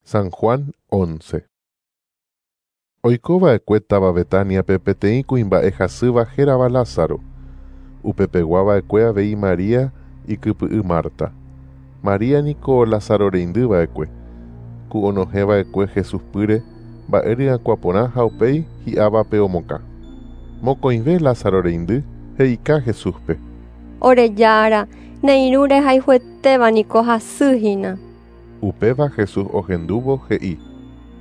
San Juan 11. Oiko va'ekue táva Betániape peteĩ kuimba'e hasýva hérava Lázaro. Upepegua va'ekue avei María ikypy'y Marta. María niko Lázaro reindy va'ekue, ku onohẽ va'ekue Jesús pýre mba'e ryakuã porã ha upéi hi'ávape omokã. Mokõive Lázaro reindy he'ika Jesúspe. Ore Jára, ne irũ rehayhuetéva niko hasy hína. Upéva Jesús ohendúvo he'i.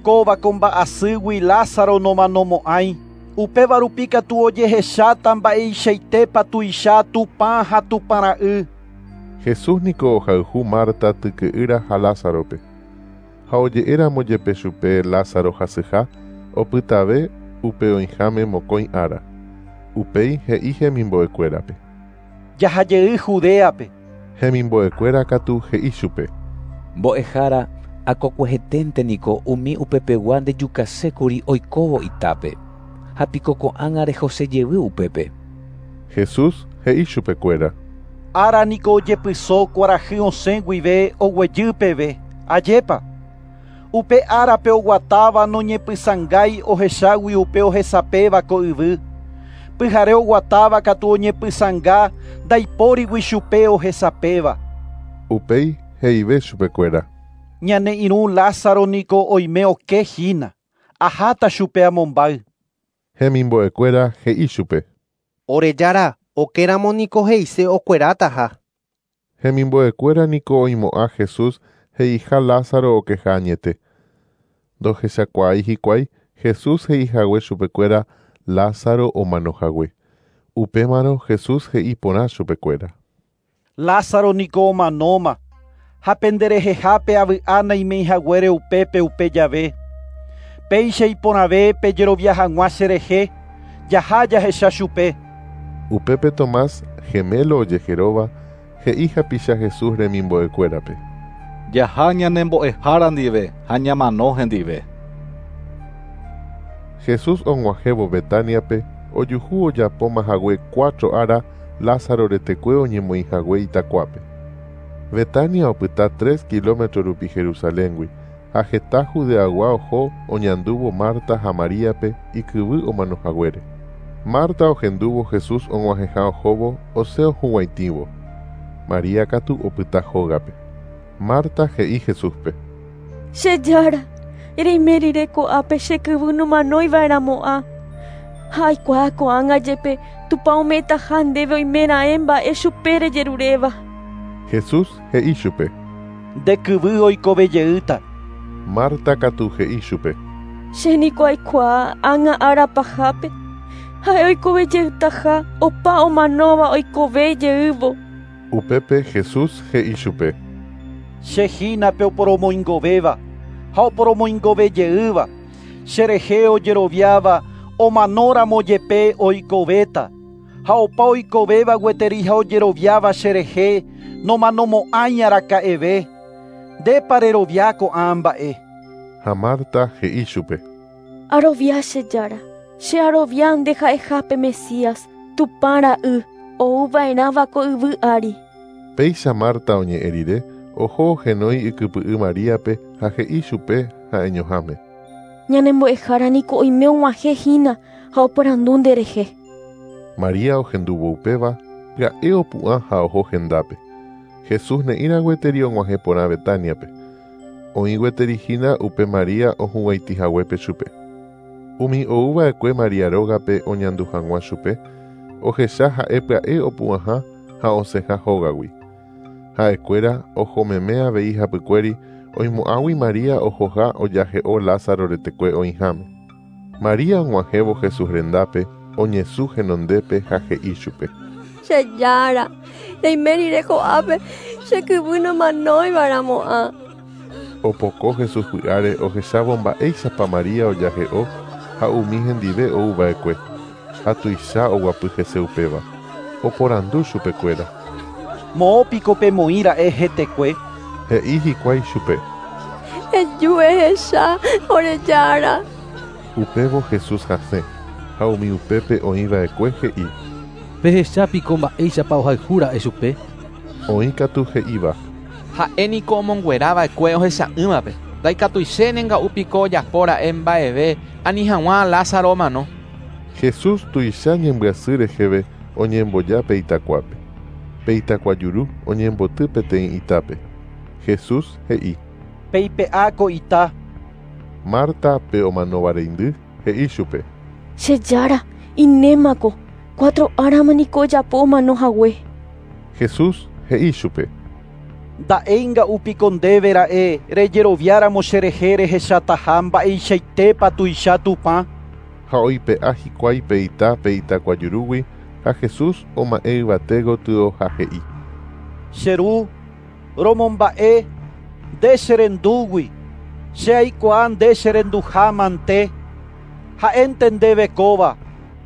Kóva ko mba'asýgui Lázaro nomanomo'ãi, upéva rupi katu ojehecháta mba'eichaitépa tuicha Tupã ha Tupã ra'y. Jesús niko ohayhu Marta tyke'ýra ha Lázarope. Ha oje'éramo jepe chupe Lázaro hasyha, opytave upe oĩháme mokõi ára. Upéi he'i hemimbo'ekuérape. Jahajey Judéape. Hemimbo'ekuéra katu he'i chupe. Mbo'ehára, akokueheténte niko umi upepegua ndejukasékuri oikóvo itápe. Ha piko ko'ág̃a rehosejevy upépe. Jesús he'i chupekuéra. Ára niko ojepyso kuarahy osẽ guive oguejy peve. Ajépa. Upe árape oguatáva noñepysãngái ohechágui upe ohesapéva ko yvy. Pyhare oguatáva katu oñepysãnga ndaipórigui chupe ohesapéva. Upéi he'ive chupekuéra. Ñane irũ Lázaro niko oime oke hína. Aháta chupe amombáy. Hemimbo'ekuéra he'i chupe. Ore Jára, okéramo niko he'ise okuerátaha. Hemimbo'ekuéra niko oimo'ã Jesús he'iha Lázaro okeha añete. Ndohechakuaái hikuái Jesús he'ihague chupekuéra Lázaro omanohague. Upémarõ Jesús he'i porã chupekuéra. Lázaro niko omanóma ha penderehehápe avy'a naimeihaguére upépe upe jave. Péicha iporãve pejerovia hag̃ua cherehe, jaha jahecha chupe. Upépe Tomás, gemelo ojeheróva, he'i hapicha Jesús remimbo'ekuérape. Jaha ñanembo'ehára ndive ha ñamano hendive. Jesús og̃uahẽvo Betániape ojuhu ojapómahague 4 ára Lázaro retekue oñemoĩhague itakuápe. Betania opyta 3 kilómetro rupi Jerusaléngui ha heta Judeagua oho oñandúvo Marta ha Maríape ikyvy omanohaguére. Marta ohendúvo Jesús og̃uahẽha ohóvo osẽ ohuguãitĩvo. María katu opyta hógape. Marta he'i Jesúspe. Che Jára, reime rire ko'ápe che kyvy nomanoiva'erãmo'ã. Ha aikuaa ko'ág̃a jepe Tupã ome'ẽtaha ndéve oimeraẽ mba'e chupe rejeruréva. Jesús he'i chupe. Nde kyvy oikovejeýta. Marta katu he'i chupe. Che niko aikuaa ág̃a ára pahápe ha'e oikovejeýtaha opa omanóva oikovejeývo. Upépe Jesús he'i chupe. Che hína pe oporomoingovéva ha oporomoingovejeýva. Cherehe ojeroviáva omanóramo jepe oikovéta. Ha opa oikovéva gueteri ha ojeroviáva cherehe nomanomo'ãi araka'eve. Ndépa rerovia ko'ã mba'e. Ha Marta he'i chupe. Arovia che Jára, che arovia nde ha'ehápe Mesías, Tupã ra'y, ouva'erãva ko yvy ári. Péicha Marta oñe'ẽ rire, oho ohenói ikypy'y Maríape ha he'i chupe ha'eñoháme. Ñanembo'ehára niko oime og̃uahẽ hína ha oporandu nderehe. María ohendúvo upéva, pya'e opu'ã ha oho hendápe. Jesús ne'ĩra gueteri og̃uahẽ porã Betániape. Oĩ gueteri hína upe María ohuguãitĩhaguépe chupe. Umi ouva'ekue María rógape oñandu hag̃ua chupe, ohecha ha'e pya'e opu'ãha ha osẽha hógagui. Ha'ekuéra ohomeme avei hapykuéri oimo'ãgui María ohoha ojahe'o Lázaro retekue oĩháme. María og̃uahẽvo Jesús rendápe oñesũ henondépe ha he'i chupe. Che Jára, reime rire ko'ápe che kyvy nomanoiva'erãmo'ã. Opoko Jesús py'áre ohechávo mba'éichapa María ojahe'o ha umi hendive ouva'ekue. Ha tuicha oguapy hese upéva. Oporandu chupekuéra. Moõpiko pemoĩra'e hetekue. He'i hikuái chupe. Eju ehecha ore Jára. Upévo Jesús hasẽ ha umi upépe oĩva'ekue he'i. Pehechápiko mba'éichapa ohayhúra'e chupe. Oĩ katu he'íva. Ha'e niko omonguerava'ekue ohecha'ỹvape. Ndaikatuichéne nga'u piko ojapóra'e mba'eve ani hag̃ua Lázaro omano. Jesús tuicha ñembyasy reheve oñemboja pe itakuápe. Pe itakua juru oñemboty peteĩ itápe. Jesús he'i: Peipe'áko ita. Marta pe omanóva reindy he'i chupe: Che Jára, inémako, 4 árama niko ojapo omano hague. Jesús he'i chupe: Nda'éi nga'u piko ndéve ra'e rejeroviáramo cherehe rehechataha mba'eichaitépa tuicha Tupã. Ha oipe'a hikuái pe ita pe itakua jurúgui ha Jesús oma'ẽ yvate gotyo ha he'i: Che ru, romomba'e nde cherendúgui, che aikuaa nde cherenduha mante. Ha'énte ndéve kóva,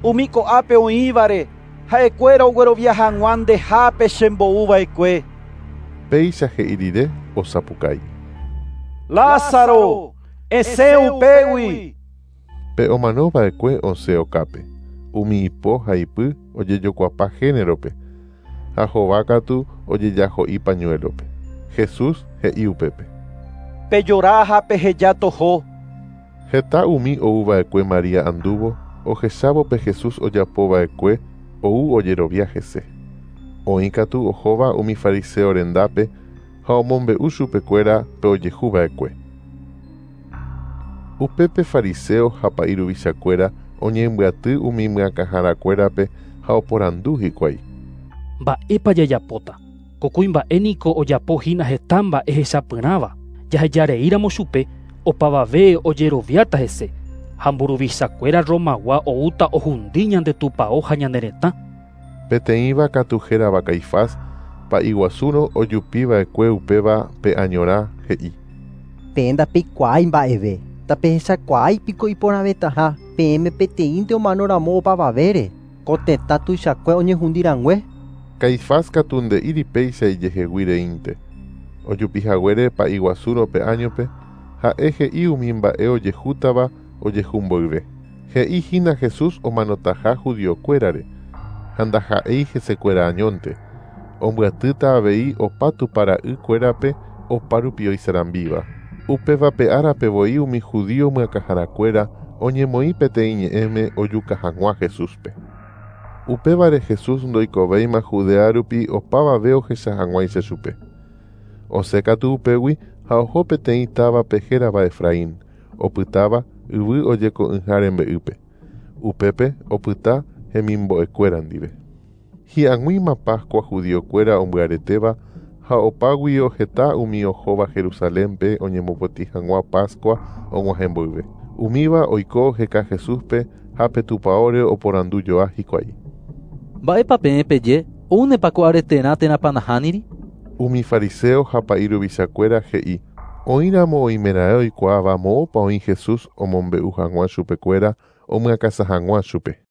umi ko'ápe oĩvare ha'ekuéra oguerovia hag̃ua ndehápe chembo'uva'ekue. Péicha he'i rire osapukái: Lázaro, esẽ upégui. Pe omanova'ekue osẽ okápe. Umi ipo ha ipy ojejokuapa génerope ha hova katu ojejaho'i pañuelope. Jesús he'i upépe: Pejora ha peheja toho. Heta umi ouva'ekue María andúvo ohechávo pe Jesús ojapova'ekue ou ojerovia hese. Oĩ katu ohóva umi fariseo rendápe ha omombe'u chupekuéra pe ojehuva'ekue. Upépe fariseo ha pa'i ruvichakuéra oñembyaty umi myakãharakuérape ha oporandu hikuái: Mba'épa jajapóta. Ko kuimba'e niko ojapo hína heta mba'e hechapyrãva. Jahejareíramo chupe opavave ojeroviáta hese ha mburuvichakuéra Romagua oúta ohundi ñande tupão ha ñane retã. Peteĩva katu hérava Caifás pa'i guasúrõ ojupiva'ekue upéva pe añorã he'i: Peẽ ndapeikuaái mba'eve, ndapehechakuaái piko iporãvetaha peẽme peteĩnte omanoramo opavavére, ko tetã tuichakue oñehundirangue. Caifás katu nde'íri péicha ijehegui reínte. Ojupihaguére pa'i guasúrõ pe añope ha'e he'i umi mba'e ojehútava ojehumboyve. He'i hína Jesús omanotaha judiokuérare ha ndaha'éi hesekuéra añónte. Ombyatýta avei opa Tupãra'ykuérape oparupi oisarambíva. Upéva pe árape voi umi judío myakãharakuéra oñemoĩ peteĩ ñe'ẽme ojuka hag̃ua Jesúspe. Upévare Jesús ndoikovéima Judea rupi opavave ohecha hag̃uáicha chupe. Osẽ katu upégui ha oho peteĩ távape hérava Efraín, opytáva yvy ojeko'ỹha rembe'ýpe. Upépe opyta hemimbo'ekuéra ndive. Hi'ag̃uíma Pascua judiokuéra ombyaretéva ha opáguio heta umi ohóva Jerusalénpe oñemopotĩ hag̃ua Pascua og̃uahẽ mboyve. Umíva oiko oheka Jesúspe ha pe tupãóre oporandujoa hikuái: Mba'épa peẽ peje oúnepa ko areterã térãpa nahániri. Umi fariseo ha pa'i ruvichakuéra he'i oĩramo oimeraẽ oikuaáva moõpa oĩ Jesús omombe'u hag̃ua chupekuéra omyakãsã hag̃ua chupe.